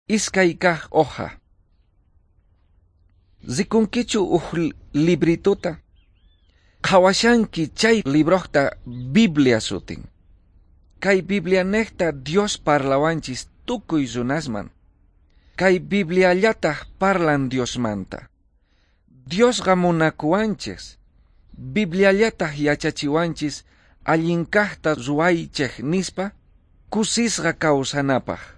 Iskay kaj hoja. Rikunkichu uj librituta? Qhawashanki chay librojta Biblia sutin. Kay Biblianejta Dios parlawanchis tukuy runasman. Kay Bibliallataj parlan Diosmanta. Diosqa munakuwanchis. Bibliallataj yachachiwanchis allinkajta ruwaychej nispa kusisqa kawsanapaj.